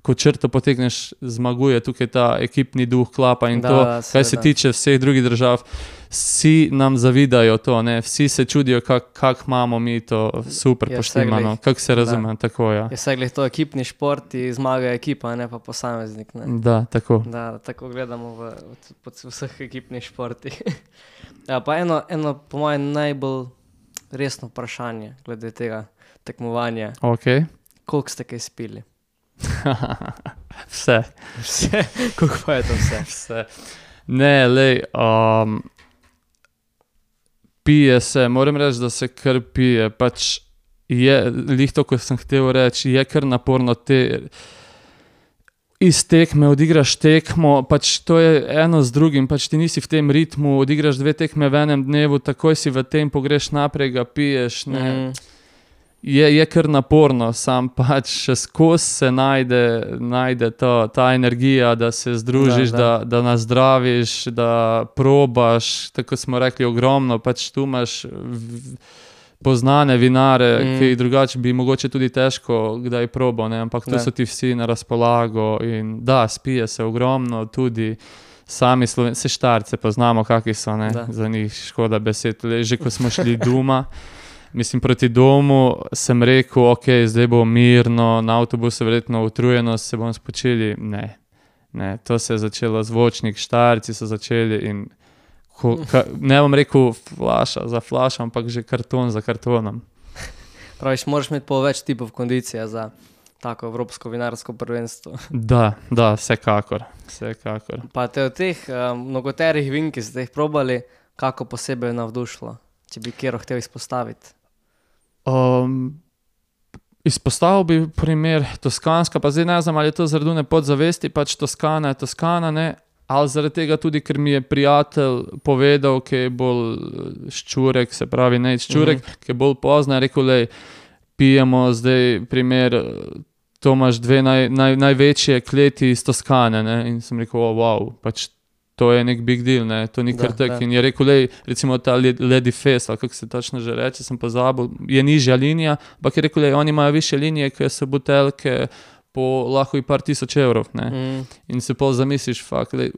ko črto potegneš, zmaguje tukaj ta ekipni duh, klapa in Da, to, da, kaj se seveda. tiče vseh drugih držav, vsi nam zavidajo to, ne, vsi se čudijo, kak, kak imamo mi to super Ja, poštimano, vse glih. kak se razume, tako ja. Je vse glih to ekipni šport, in zmaga ekipa, ne pa posameznik. Ne? Da, tako. Da, tako gledamo v, v, v vseh ekipnih športih. Ja, pa eno, eno po mojem najbolj resno vprašanje glede tega tekmovanja. Ok. Koliko ste kaj spili? Vse. Vse? Koliko pa je to vse? Vse. Ne, lej, um, pije se, moram reči, da se kar pije, pač je, lih to, ko sem hotel reči, je kar naporno te, iz tekme odigraš tekmo, pač to je eno z drugim, pač ti nisi v tem ritmu, odigraš dve tekme v enem dnevu, takoj si v tem, pogreš naprej, ga piješ, ne. Mm, Je, je kar naporno, sam pač še skozi se najde, najde to, ta energija, da se združiš, Da, da, da. da, da nazdraviš, da probaš, tako smo rekli, ogromno, pač tu imaš v- poznane vinare, Mm. mm. ki jih drugače bi mogoče tudi težko kdaj probal, ne? Ampak tu Da. so ti vsi na razpolago in da, spije se ogromno, tudi sami Sloven, se Štarce poznamo, kakvi so, ne? Da. Za njih škoda besed, le že ko smo šli doma. Mislim, proti domu sem rekel, ok, zdaj bo mirno, na avtobusu verjetno utrujenost, se bom spočili. Ne, ne, to se je začelo, zvočnik, Štarci so začeli in ko, ka, ne bom rekel flaša za flašo, ampak že karton za kartonom. praviš, moraš imeti pol več tipov kondicije za tako evropsko vinarsko prvenstvo. Da, da, vsekakor, vsekakor. Pa te od teh um, mnogoterih vin, ki ste jih probali, kako posebej navdušilo, če bi kjero hotel izpostaviti? Um, izpostavil bi primer Toskanska, pa zdaj ne znam, ali je to zaradi one podzavesti, pač Toskana je Toskana, ne, ali zaradi tega tudi, ker mi je prijatelj povedal, ki je bolj eh, ščurek, se pravi ne ščurek, mm -hmm. ki je bolj pozna, je rekel, lej, pijemo zdaj primer, eh, to imaš dve naj, naj, največje kleti iz Toskane, ne, in sem rekel, oh, wow, pač to je nek big deal, ne, to ni Da, kar tak. da. In je rekel, lej, recimo ta Lady Fest, ali kako se točno že reče, sem pozabil, je nižja linija, ampak je rekel, lej, oni imajo više linije, ker so buteljke po lahko i par tisoč evrov, ne. Mm, In se pol zamisliš, fakt, lej,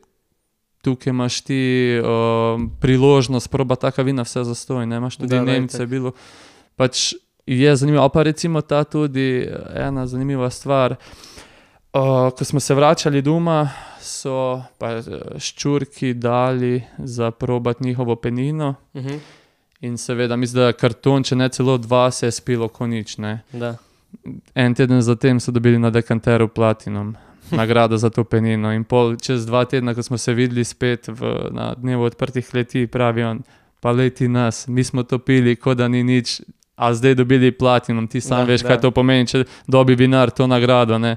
tukaj imaš ti um, priložnost proba taka vina vse zastonj, ne, imaš tudi Da, da, Nemce, itak. bilo, pač je zanimivo, ali pa recimo ta tudi ena zanimiva stvar, uh, ko smo se vračali doma, so pa eh, ščurki dali za probati njihovo penino mhm, in seveda mislim, da karton, če ne celo dva, se je spilo ko nič, ne. da. En teden zatem so dobili na dekanteru Platinum nagrado za to penino in pol čez dva tedna, ko smo se videli spet v, na dnevu odprtih kleti, pravi on, pa leti nas, mi smo to pili, kot da ni nič, a zdaj dobili Platinum, ti sam Da, veš, da. kaj to pomeni, če dobi vinar to nagrado, ne.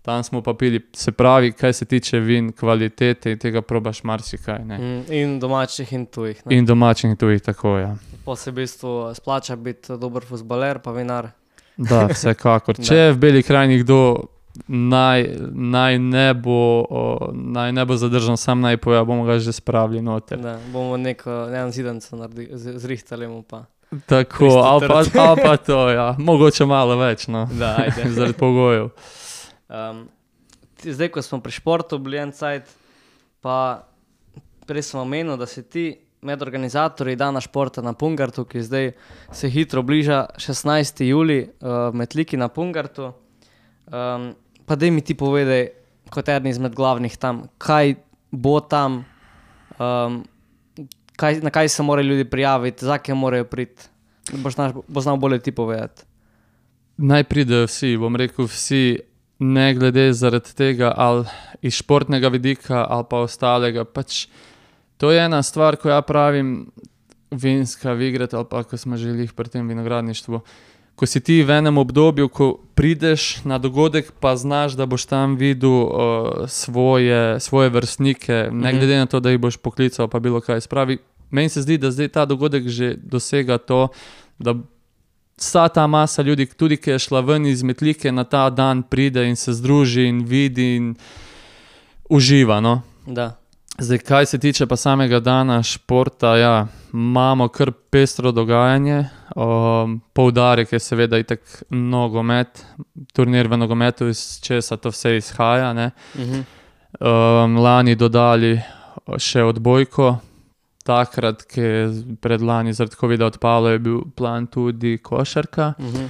Tam smo pa pili, se pravi, kaj se tiče vin, kvalitete in tega probaš marsikaj, ne. Mm, in domačih in tujih. Ne? In domačih in tujih, tako, ja. Po se v bistvu splača biti dober fuzbaler pa vinar. Da, vsekakor. Da. Če je v Beli krajini kdo naj, naj, ne bo, o, naj ne bo zadržan, sam naj poja, bomo ga že spravili noter. Da, bomo neko, en zidanco naredi, z- zrihtali mu pa. Tako, ali pa, ali pa to, ja. Mogoče malo več, no. Da, ajde. Zaradi pogojev. Um, ti, zdaj, ko smo pri športu bili en cajt, pa prej sem omenil, da si ti med organizatorji dana športa na Pungartu, ki zdaj se hitro bliža šestnajsti julij uh, v Metliki na Pungartu. Um, pa daj mi ti povedaj, kot eden izmed glavnih tam, kaj bo tam, um, kaj, na kaj se morajo ljudi prijaviti, za kaj morajo priti? Boš, naš, bo znal bolje ti povedati. Naj pridejo vsi, bom rekel vsi, ne glede zaradi tega ali iz športnega vidika ali pa ostalega. Pač to je ena stvar, ko ja pravim, vinska vigret ali pa, ko smo želeli pri tem vinogradništvu. Ko si ti v enem obdobju, ko prideš na dogodek, pa znaš, da boš tam videl uh, svoje, svoje vrstnike, ne Mhm. glede na to, da jih boš poklical pa bilo kaj spravi. Meni se zdi, da zdaj ta dogodek že dosega to, da vsa ta masa ljudi, tudi ki je šla ven iz Metlike, na ta dan pride in se združi in vidi in uživa, no. Da. Zdaj, kaj se tiče pa samega dana športa, ja, imamo kar pestro dogajanje. Um, poudarek je seveda itak nogomet, turnir v nogometu, iz česa to vse izhaja, ne. Mhm. Um, lani dodali še odbojko, takrat, ki je predlani zaradi covida odpalo, je bil plan tudi košarka. Mhm.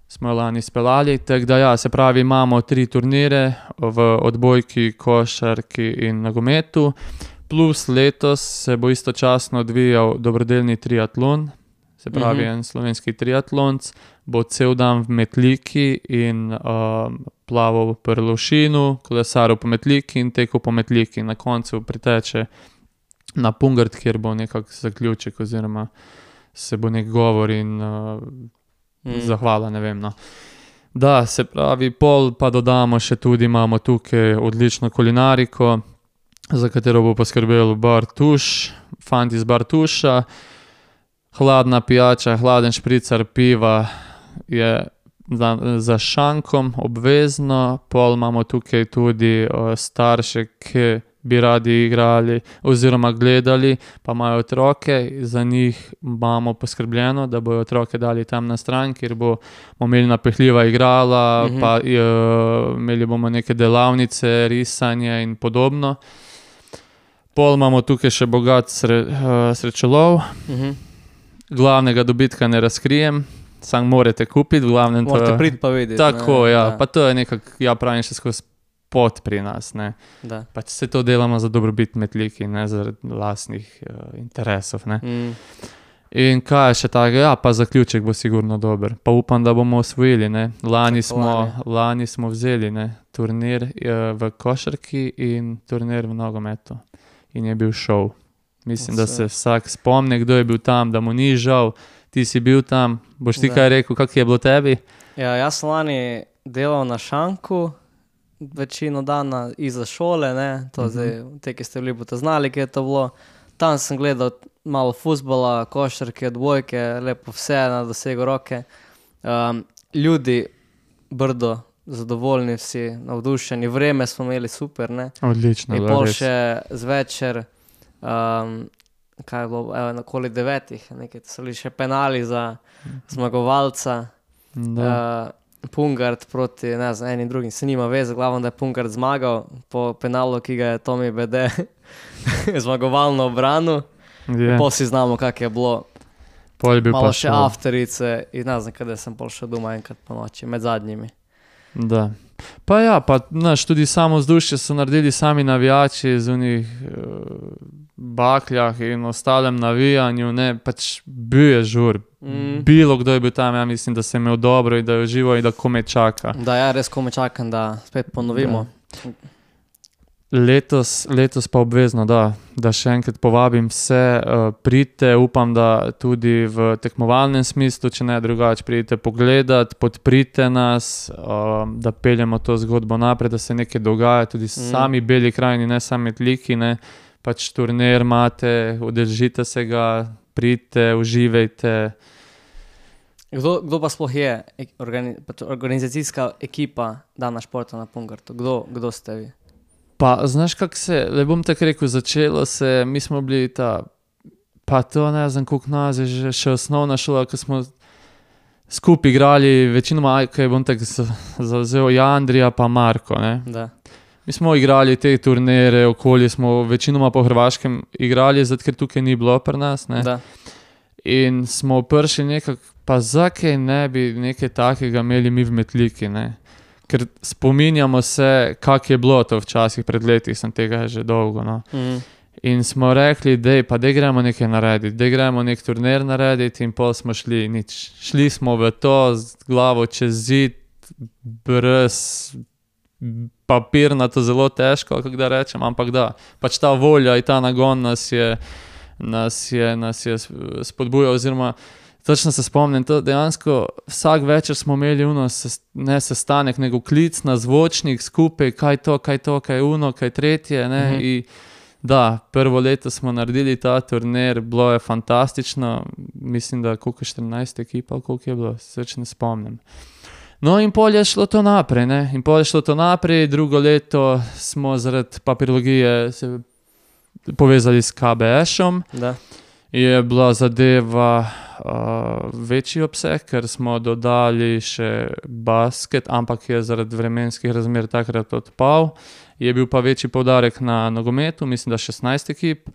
Smo jo lani speljali, tako da ja, se pravi, imamo tri turnire v odbojki, košarki in nogometu, plus letos se bo istočasno odvijal dobrodelni triatlon, se pravi, Mhm. en slovenski triatlonc, bo cel dan v Metliki in um, plaval pri Lovšinu, kolesaril po Metliki in tekel po Metliki. Na koncu priteče na Pungart, kjer bo nekak zaključek oziroma se bo nek govor in uh, Mhm. zahvala, ne vem, no. Da, se pravi, pol pa dodamo še tudi, imamo tukaj odlično kulinariko, za katero bo poskrbel bar Tuš, fant iz bar Tuša, hladna pijača, hladen špricar piva je za, za šankom obvezno, pol imamo tukaj tudi uh, starše, ki bi radi igrali oziroma gledali, pa imajo otroke, za njih imamo poskrbljeno, da bojo otroke dali tam na stran, kjer bomo imeli napehljiva igrala, Mhm. pa uh, imeli bomo neke delavnice, risanje in podobno. Pol imamo tukaj še bogat sre, uh, srečelov, Mhm. glavnega dobitka ne razkrijem, sam morate kupiti, v glavnem to Morate je- priti pa videti. Tako, ne, ja, da, pa to je nekako, ja pravim, še skozi pot pri nas, ne. da. Pač se to delamo za dobrobit Metliki, ne zaradi lastnih uh, interesov, ne. Mm. In kaj je še tako, ja, pa zaključek bo sigurno dober. Pa upam, da bomo osvojili, ne. Lani smo, Pričakovanje. lani smo vzeli, ne, turnir uh, v košarki in turnir v nogometu. In je bil šov. Mislim, da se vsak spomne, kdo je bil tam, da mu ni žal. Ti si bil tam, boš ti Da. kaj rekel, kak je bilo tebi? Ja, jaz sem lani delal na šanku, večino dana iza šole, ne, to Mhm. zdaj, te, ki ste bili, boste znali, kje je to bilo. Tam sem gledal malo fuzbola, košarke, odbojke, lepo vse na dosegu roke. Um, ljudi, Brdo, zadovoljni vsi, navdušeni, vreme smo imeli super, ne. Odlično, In bilo pol res. še zvečer, um, kaj je bilo, evo, okoli devetih, nekaj, so bili še penali za zmagovalca. Da. Uh, Pungart proti, ne znam, enim drugim, se nima veze, glavno, da je Pungart zmagal po penalu, ki ga je Tomi Bede zmagovalno obranil. Je. Pol si znamo, kak je bilo. Pol je bil Malo pa še šov. afterice in ne znam, kada sem pol šel doma enkrat po noči, med zadnjimi. Da. Pa ja, pa naš, tudi samo vzdušje so naredili sami navijači z unih uh, bakljah in ostalem navijanju, ne, pač bil je žur. Mm. Bilo kdo je bil tam, ja mislim, da se je imel dobro in da je užival in da kome čaka. Da, ja, res kome čakam, da spet ponovimo. Letos, letos pa obvezno, da, da še enkrat povabim vse, uh, pridite, upam, da tudi v tekmovalnem smislu, če ne drugače, pridite pogledat, podprite nas, uh, da peljemo to zgodbo naprej, da se nekaj dogaja, tudi Mm. sami Beli krajini, ne sami Metliki, ne, pač turnir imate, udeležite se ga, pridite, uživajte. Kdo, kdo pa sploh je ek- organi, pač organizacijska ekipa Dana športa na Pungartu? Kdo, kdo ste vi? Pa, znaš, kako se, le bom tako rekel, začelo se, mi smo bili ta, pa to ne znam, koliko nas je že še osnovna šola, ko smo skupaj igrali, večinoma, kaj bom tako z- zavzel, Jandrija pa Marko, ne. Da. Mi smo igrali te turnire, okoli smo večinoma po Hrvaškem igrali, zato ker tukaj ni bilo pri nas, ne. Da. In smo prišli nekako, pa zakaj ne bi nekaj takega imeli mi v Metliki, ne. Ker spominjamo se, kak je bilo to včasih pred leti, sem tega že dolgo, no. Mm. In smo rekli, dej, pa dej gremo nekaj narediti, dej gremo nek turnir narediti in pol smo šli, nič. Šli smo v to z glavo čez zid, brez papirnato, zelo težko, kako da rečem, ampak da, pač ta volja in ta nagon nas je, nas je, nas je spodbujal, oziroma točno se spomnim, to dejansko vsak večer smo imeli uno, ne sestanek, nego klic na zvočnik skupaj, kaj to, kaj to, kaj uno, kaj tretje, ne, Mhm. in da, prvo leto smo naredili ta turnir, bilo je fantastično, mislim, da koliko štirinajst ekip, ali koliko je bilo, se več ne spomnim. No in pol je šlo to naprej, ne, in pol je šlo to naprej, drugo leto smo zaradi papirologije se povezali s K B S-om, Da. je bila zadeva uh, večji obseg, ker smo dodali še basket, ampak je zaradi vremenskih razmer takrat odpal. Je bil pa večji poudarek na nogometu, mislim, da šestnajst ekip.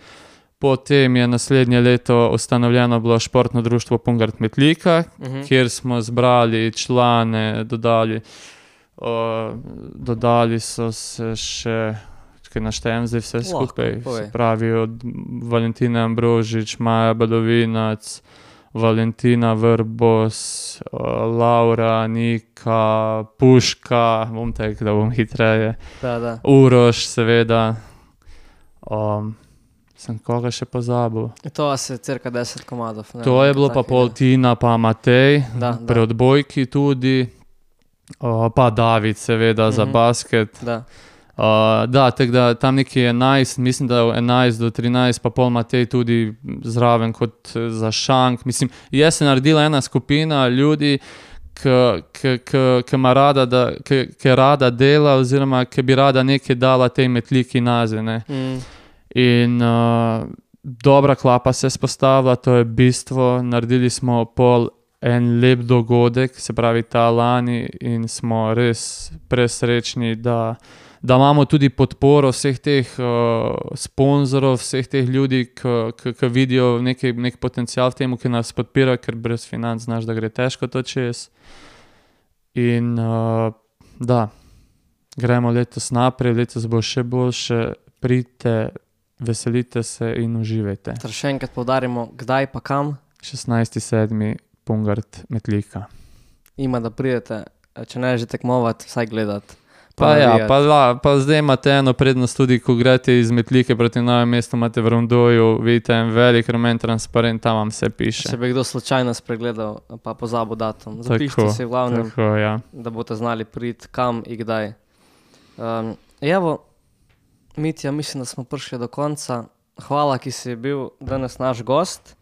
Potem je naslednje leto ustanovljeno bilo športno društvo Pungart Metlika, Mhm. kjer smo zbrali člane, dodali, uh, dodali so se še, čakaj, naštejem zdaj vse Lahko, skupaj, povej. se pravi od Valentina Ambrožič, Maja Badovinac, Valentina Vrbos, uh, Laura, Nika, Puška, bom tek, da bom hitreje, Da, da. Uroš, seveda, um, sem koga še pozabil. To vas je cirka deset komadov. Ne, To je nekaj bilo pa takega. pol Tina, pa Matej, Da, da. pri odbojki tudi, uh, pa David seveda za Mhm. basket. Da. Uh, da, tako da tam neki enajst, mislim, da enajst do trinajst, pa pol Matej tudi zraven kot eh, za šank. Mislim, je se naredila ena skupina ljudi, ki ima rada, da, ki rada dela, oziroma ki bi rada nekaj dala tej Metliki nazaj, ne. Mm. In uh, dobra klapa se je spostavila, to je bistvo. Naredili smo pol en lep dogodek, se pravi ta lani, in smo res presrečni, da, da imamo tudi podporo vseh teh uh, sponzorov, vseh teh ljudi, ki vidijo neki, nek potencial v tem, ki nas podpira, ker brez financ znaš, da gre težko to čez. In uh, da, gremo letos naprej, letos bo še boljše, pridite, veselite se in uživajte. Torej še enkrat poudarimo, kdaj pa kam šestnajsti sedmi Pungart Metlika. ima, da pridete, če ne že tekmovati, vsaj gledati. Pa ja, navijati. pa, la, pa zdaj imate eno prednost tudi, ko greste iz Metlike proti Novem mestu, imate v Rondoju, vidite en velik rumen transparent, tam vam vse piše. Če bi kdo slučajno spregledal, pa pozabil datum. Zapišite Tako, si v glavnem, Tako, ja. da boste znali priti kam in kdaj. Um, evo, Mitja, mislim, da smo prišli do konca. Hvala, ki si bil danes naš gost.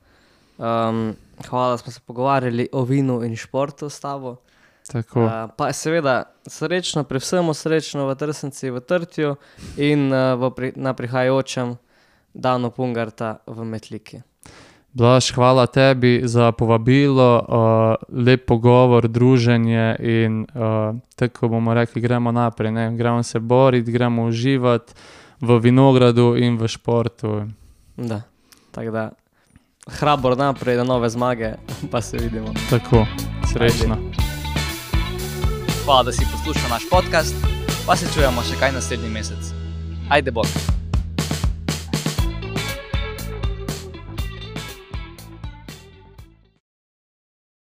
Um, hvala, da smo se pogovarjali o vinu in športu s tabo. Tako. Uh, pa seveda srečno, pri vsemu srečno v Trsnici, v Trtju in uh, v pri, na prihajajočem danu Pungarta v Metliki. Blaž, hvala tebi za povabilo, uh, lep pogovor, druženje in uh, tako bomo rekli, gremo naprej, ne? Gremo se boriti, gremo uživati v vinogradu in v športu. Da, tako da hrabor naprej, da nove zmage, pa se vidimo. Tako, srečno. Hvala, da si poslušal naš podcast, pa se čujemo še kaj naslednji mesec. Ajde bok!